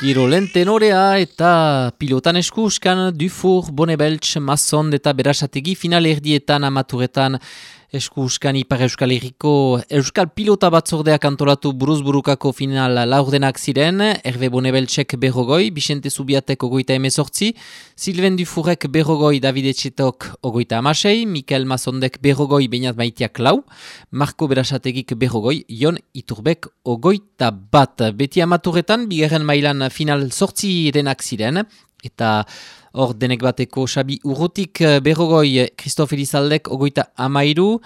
Kirolen tenorea eta pilotan eskuskan Dufour, Bonnebeltz, Masson eta Berasategi final erdietan amaturetan eskuskan Ipar Euskal Herriko Euskal Pilota Batzordeak antolatu buruzburukako final laurdenak ziren, Hervé Bonnebeltzek berrogoi, Bixente Zubiatek 38, Sylvain Dufourek berrogoi, David Etxetok 36, Mikel Massondek berrogoi, Beñat Maitiak lau, Marko Berasategik berrogoi, Jon Iturbek 21. Beti amaturetan, bigarren mailan final 8 denak ziren, eta hor denek bateko Xabi Urrutik berrogoi, Christophe Elizaldek 33,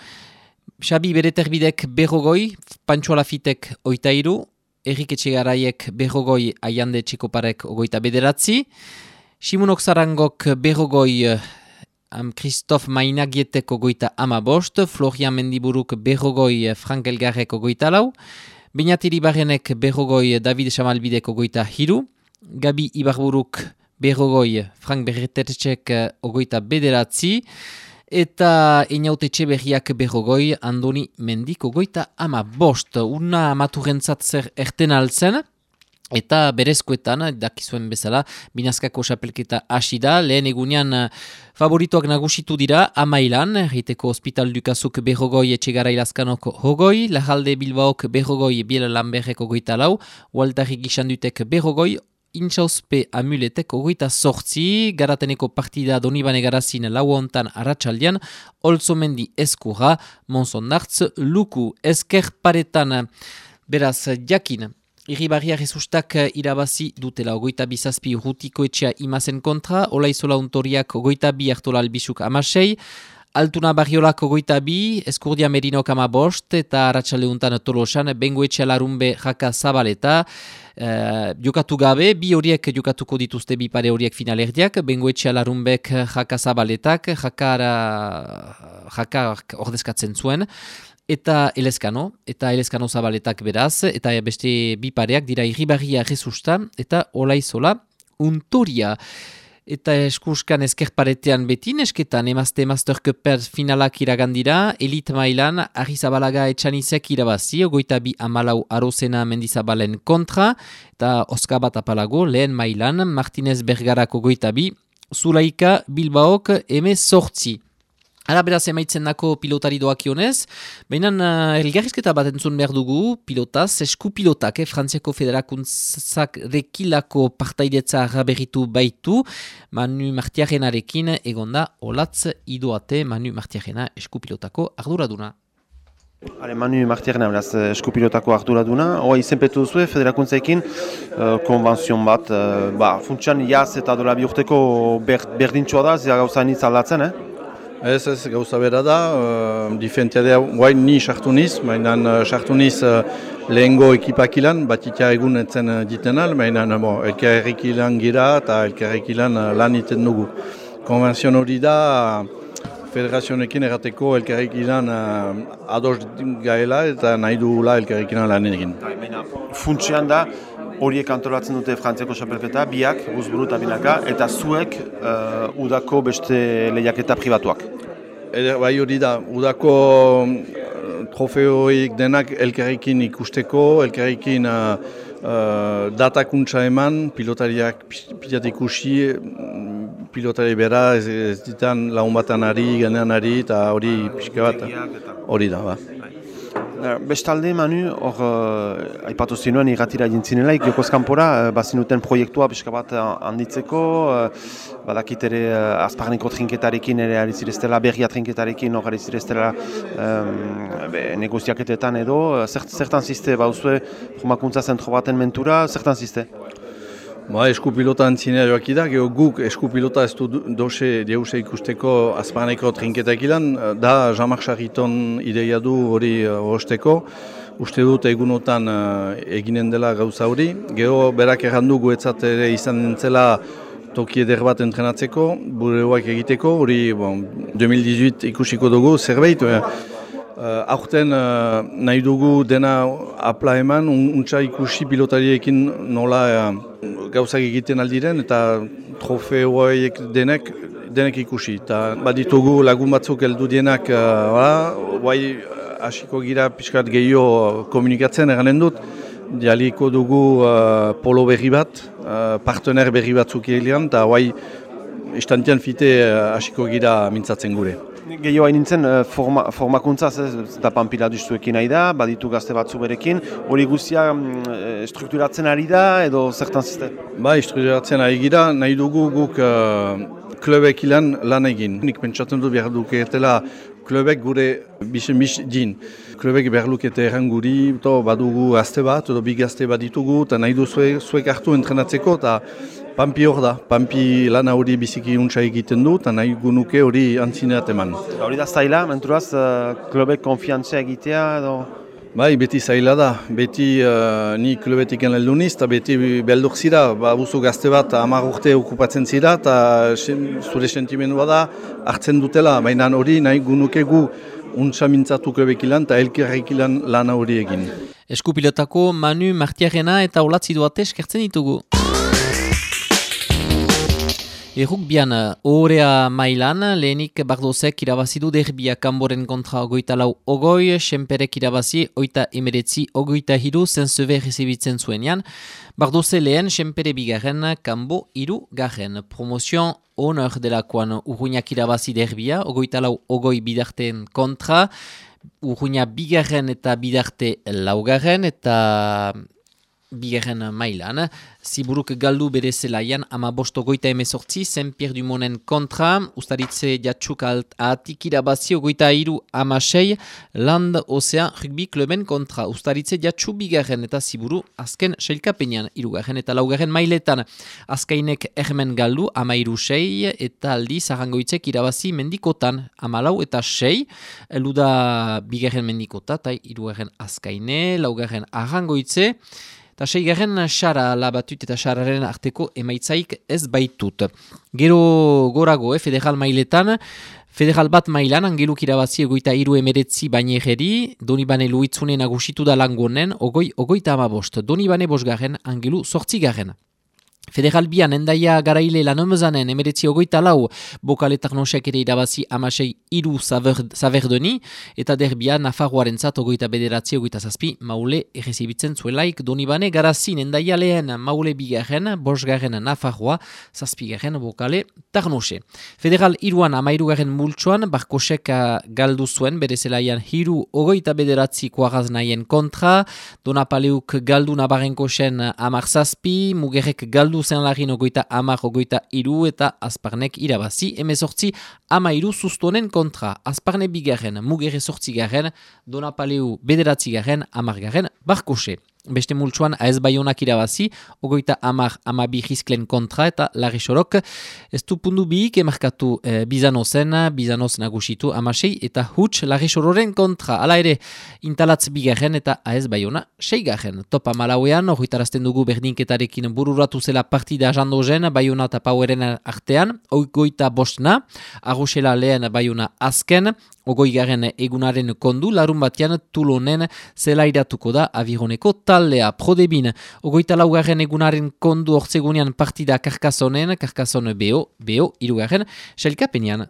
Xabi Bereterbidek berrogoi, Pantxo Alafitek 83, Erik Etxegaraiek berrogoi, Aiande Txekoparek 29, Simunok Zarangok berrogoi, Christophe Mainagietek 35, Florian Mendiburuk berrogoi, Frank Elgarrek 24, Beñat Iribarrenek berrogoi, David Xamalbidek 23, Gabi Ibarburuk berrogoi, Frank Berretertxek 29, eta Einaute Etxeberriak berrogoi, Andoni Mendik 35. Una amaturentzat zer erten altzen, eta berezkoetan, dakizuen bezala, binazkako xapelketa hasi da, lehen egunean favoritoak nagusitu dira, amailan, Riteko Hospital Dukazuk berrogoi, Etxegarai Lazkanok hogoi, Lajalde Bilbaok berrogoi, Biel Lamberrek 24, Waltari Gixandutek berrogoi, Intxauzpe Amuletek 28, Garateneko partida Donibane Garazin lau hontan arratsaldean, Olzomendi Eskurra, Monsondartz, Luku, Esker Paretan, beraz, jakin, Irribarria Jesustak irabazi dutela 27 Rutiko Etxea Imazen kontra, Olaizola Untoriak 22 Artola Albisuk 16, Altuna Barriolak 22, Eskurdia Merinok 15, eta arratsaldeuntan Tolosan, Bengoetxea Larunbe Jaka Zabaleta, jokatu gabe, bi horiek jokatuko dituzte bi pare horiek finalerdiak, Bengoetxea Larunbek Jaka Zabaletak, Jaka ordezkatzen zuen, eta Elezkano Zabaletak beraz, eta beste bi pareak dira Irribarria Jesusta eta Olaizola Untoria. Eta eskuskan eskerparetean beti nesketan emazte Master Cuper finalak iragandira, elit mailan Arrizabalaga Etxanizek irabazi, 22 Arozena Mendizabalen kontra, eta Oska bat apalago lehen mailan Martinez Bergarak 22, Zulaika Bilbaok 18. Ara beraz emaitzen dako pilotari doakionez, baina elgarrizketa bat entzun behar dugu pilotaz, esku pilotak, Frantziako Federakuntzak rekilako partaidetza arraberritu baitu, Manu Martiarenarekin egonda Olatz Idoate, Manu Martiarena esku pilotako arduraduna. Manu Martiarena, beraz, eskupilotako arduraduna. Hoa izenpetu duzue, federakuntzaekin konbanzion bat. Funtsian jaz eta dola bi urteko berdintxoa da, zira gauza nitz aldatzen, Ez gauza bera da, diferentia da, guain ni sartu niz, mainan sartu niz lehengo ekipakilan, bat ikia egun etzen ditenal, mainan elkarrekilan gira eta elkarrekilan lan iten dugu. Konvenzio hori da, federazionekin errateko elkarrekilan ados gaela eta nahi dugula elkarrekilan lan egin. Funtsian da, horiek antolatzen dute Frantziako xapelketa, biak, Uzburu eta Binaka, eta zuek udako beste lehiaketa pribatuak. Bai hori da, udako trofeoik denak elkarrekin ikusteko, elkarrekin datakuntza eman, pilotariak pilat ikusi, pilotari bera ez ditan lagun batan ari, ganean ari, eta hori pixka bat, hori da, ba. Bestalde, Manu, hor aipatu zinuen irratira jintzinelaik, jokoz kanpora, bazinuten proiektua pixka bat handitzeko, badakit ere azparneko trinketarekin ere arizireztela, berria trinketarekin hor arizireztela negoziaketetan edo, zertan ziste, bauzue, formakuntza zentro baten mentura, zertan ziste? Eskupilota antzinea joakida, guk eskupilota ez du deuse ikusteko azpaneko trinketak ilan, da Jean-Marc Charriton ideia du hori hosteko. Uste dut egunotan eginen dela gauza hori. Gero berak errandu guetzat ere izan nintzela toki eder bat entrenatzeko, bureoak egiteko, hori 2018 ikusiko dugu zerbait. Aurten nahi dugu dena apla eman, untsa ikusi pilotariekin nola gauzak egiten aldiren eta trofeoiek denek ikusi. Baditugu lagun batzuk heldu dienak, hasiko gira pixkat gehiago komunikatzen eranen dut, dialiko dugu polo berri bat, partener berri batzuk egilean, eta guai istantean fite hasiko gira mintzatzen gure. Gehiago hain nintzen formakuntzaz, eta Panpila duztuekin nahi da, baditu gazte batzu berekin, hori guztia strukturatzen ari da edo zertan ziste? Strukturatzen ari gira, nahi dugu guk klubek ilan lan egin. Nik pentsatzen du behar duketela klubek gure bisen din. Klubek behar lukete erran guri, badugu gazte bat, edo bi gazte bat ditugu, eta nahi du zuek hartu entrenatzeko, eta Panpi hor da, Panpi lan hori biziki untsa egiten du, eta nahi gunuke hori antzineat eman. Hori da zaila, menturaz, klubek konfiantzia egitea edo? Beti zaila da. Beti ni klubetik heldu niz, eta beti beldur zira, buzu gazte bat 10 urte okupatzen zira, eta zure sentimendua da hartzen dutela, baina hori nahi gunuke gu untsa mintzatu klubek ilan, eta elkerrek ilan lan hori egin. Eskupilotako Manu Martiarena eta Olatzi Duarte eskertzen ditugu. Errukbian ohorea mailan, lehenik Bardozek irabazidu derbia Kanboren kontra 24-20, Senperek irabazi 19-23 Saint-Sever rezibitzen zuenean. Bardoze lehen, Senpere bigarren, Kanbo 3. Promozion honor delakoan Urruñak irabazi derbia, 24-20 bidarteen kontra, Urruña bigarren eta bidarte 4. eta bigarren mailan. Ziburuk galdu bere zelaian 15-18 Saint-Pierre-du-Monen kontra, Ustaritze Jatxuk ahatik irabazi 23-16 Land Ocean Rugby Kluben kontra, Ustaritze Jatxu bigarren eta Ziburu azken sailkapenean 3. eta 4. mailetan. Azkainek ermen galdu 13-6 eta aldiz Arrangoitzek irabazi mendikotan 14 eta 6, eluda bigarren mendikota eta 3. Azkaine, 4. Arrangoitze, eta 6. Xara labatut eta Xararen arteko emaitzaik ez baitut. Gero gorago, federal mailetan, federal bat mailan, Angeluk irabazi 23-19 Bainegeri, Donibane Luitzune nagusitu da langonen, 20-15, Donibane 5, Angelu 8. Federal bian endaia garaile lanomzanen 19-24 Bokaletak nosek ere irabazi 16-3 Saverdoni, eta derbia Nafarroaren zat 29-27 Maule errezibitzen zuelaik Donibane garazin endaia lehen Maule 2, 5. Nafarroa, 7. Bokale Tarnose. Federal 3an 13. multsoan Barkosek galdu zuen bere zelaian 3-29 Kuaraz nahien kontra, Donapaleuk galdu Nabarrenkosen 10-7, Mugerrek galdu zen lagin 30-23 eta Azparnek irabazi 18-13 Sustonen kontra, Azparne 2, Mugerre 8, Donapaleu 9, 10 Barkose. Beste multsuan AS Baionak irabazi, 30-12 Rizklen kontra eta Larri Sorok. Ez du pundu biik emarkatu Bizanozen, Bizanoz nagusitu 16 eta Huts Larri Sororen kontra. Hala ere, Intalatz 2 eta AS Baiona 6. Topa Malauean, horretarazten dugu berdinketarekin bururatu zela partida jandozen, Baiona eta Poweren artean, 25 Arroxela lehen Baiona azken, 20. egunaren kondu, larun batean Tulonen zelairatuko da Avironeko taldea. Prodebin, 24. egunaren kondu ortzegunean partida Karkasonen, Karkason BO 3. sailkapenean.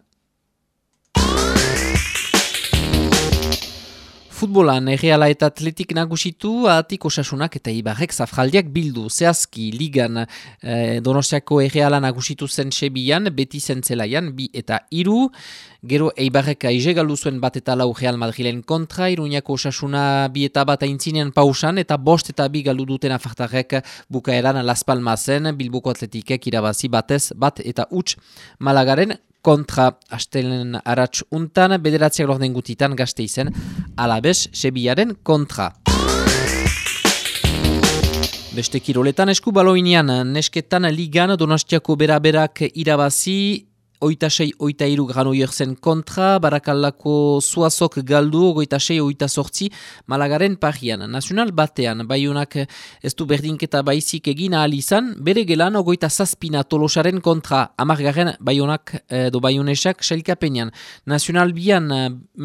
Futbolan, Erreala eta Atletik nagusitu, ahatik Osasunak eta Ibarrek zafraldiak bildu. Zehazki, ligan Donostiako Erreala nagusitu zen Sebian, beti zen zelaian, 2 eta 3. Gero Eibarrek aize galdu zuen 1 eta 4 Real Madrilen kontra, Iruñako Osasuna 2 eta 1 aintzinean pausan, eta 5 eta 2 galdu duten afartarrek bukaeran Las Palmasen, Bilboko Atletikek irabazi 1 eta 0 Malagaren kontra. Astelen aratz untan, 9 lorden gutitan Gasteizen, Alabes Sebiaren kontra. Beste kiroletan eskubaloinean, nesketan ligan Donostiako beraberak irabazi, 26-23 Granollers kontra, Barakaldako Zuazok galdu, 26-28 Malagaren parian. Nazional batean, Baionak ez du berdinketa baizik egin ahal izan, bere gelan 27 Tolosaren kontra, 10. Baionak do Baionesak sailkapenean. Nazional bian,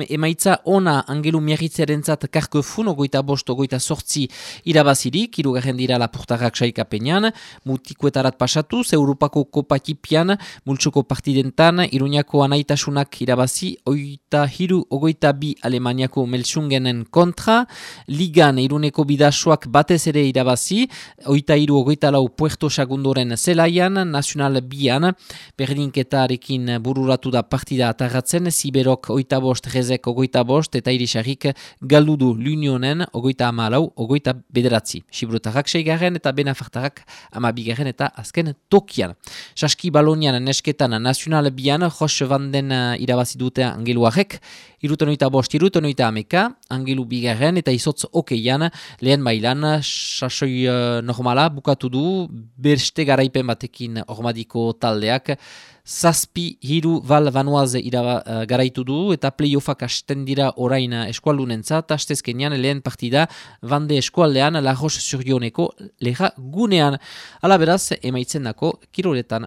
emaitza ona Angelu Miarritzerentzat Karkefun, 25-28 irabazirik, 3. dira Lapurtarrak sailkapenean, mutikuetarat pasatuz, Europako kopakipian, multsoko partiden fintan, Iruñako anaitasunak irabazi, 23-22 Alemaniako Melsungenen kontra, Ligan Iruneko bidasoak batez ere irabazi, 23-24 Puerto Sagundoren zelaian, Nacional Bian, berdinketarekin bururatu da partida atarratzen, Siberok 25, Rezek 25, eta Irisarrik galdudu l'Unionen 34-29. Sibrutarrak 6 eta Benafartarrak 12 eta azken tokian. Saski Balonian nesketan Nacional Bian, Jos Vanden irabazi dute Angeluarek, 75-30 Angelu bigarren eta izotz okeian lehen mailan sasoi normala bukatu du beste garaipen batekin ormadiko taldeak. 7-3 Val Vanoise garaitu du eta playoffak hasten dira orain eskualdunentzat, hastezkenean lehen partida Bande eskualdean La Roche-sur-Yoneko leha gunean. Ala beraz, emaitzen dako kiroletan.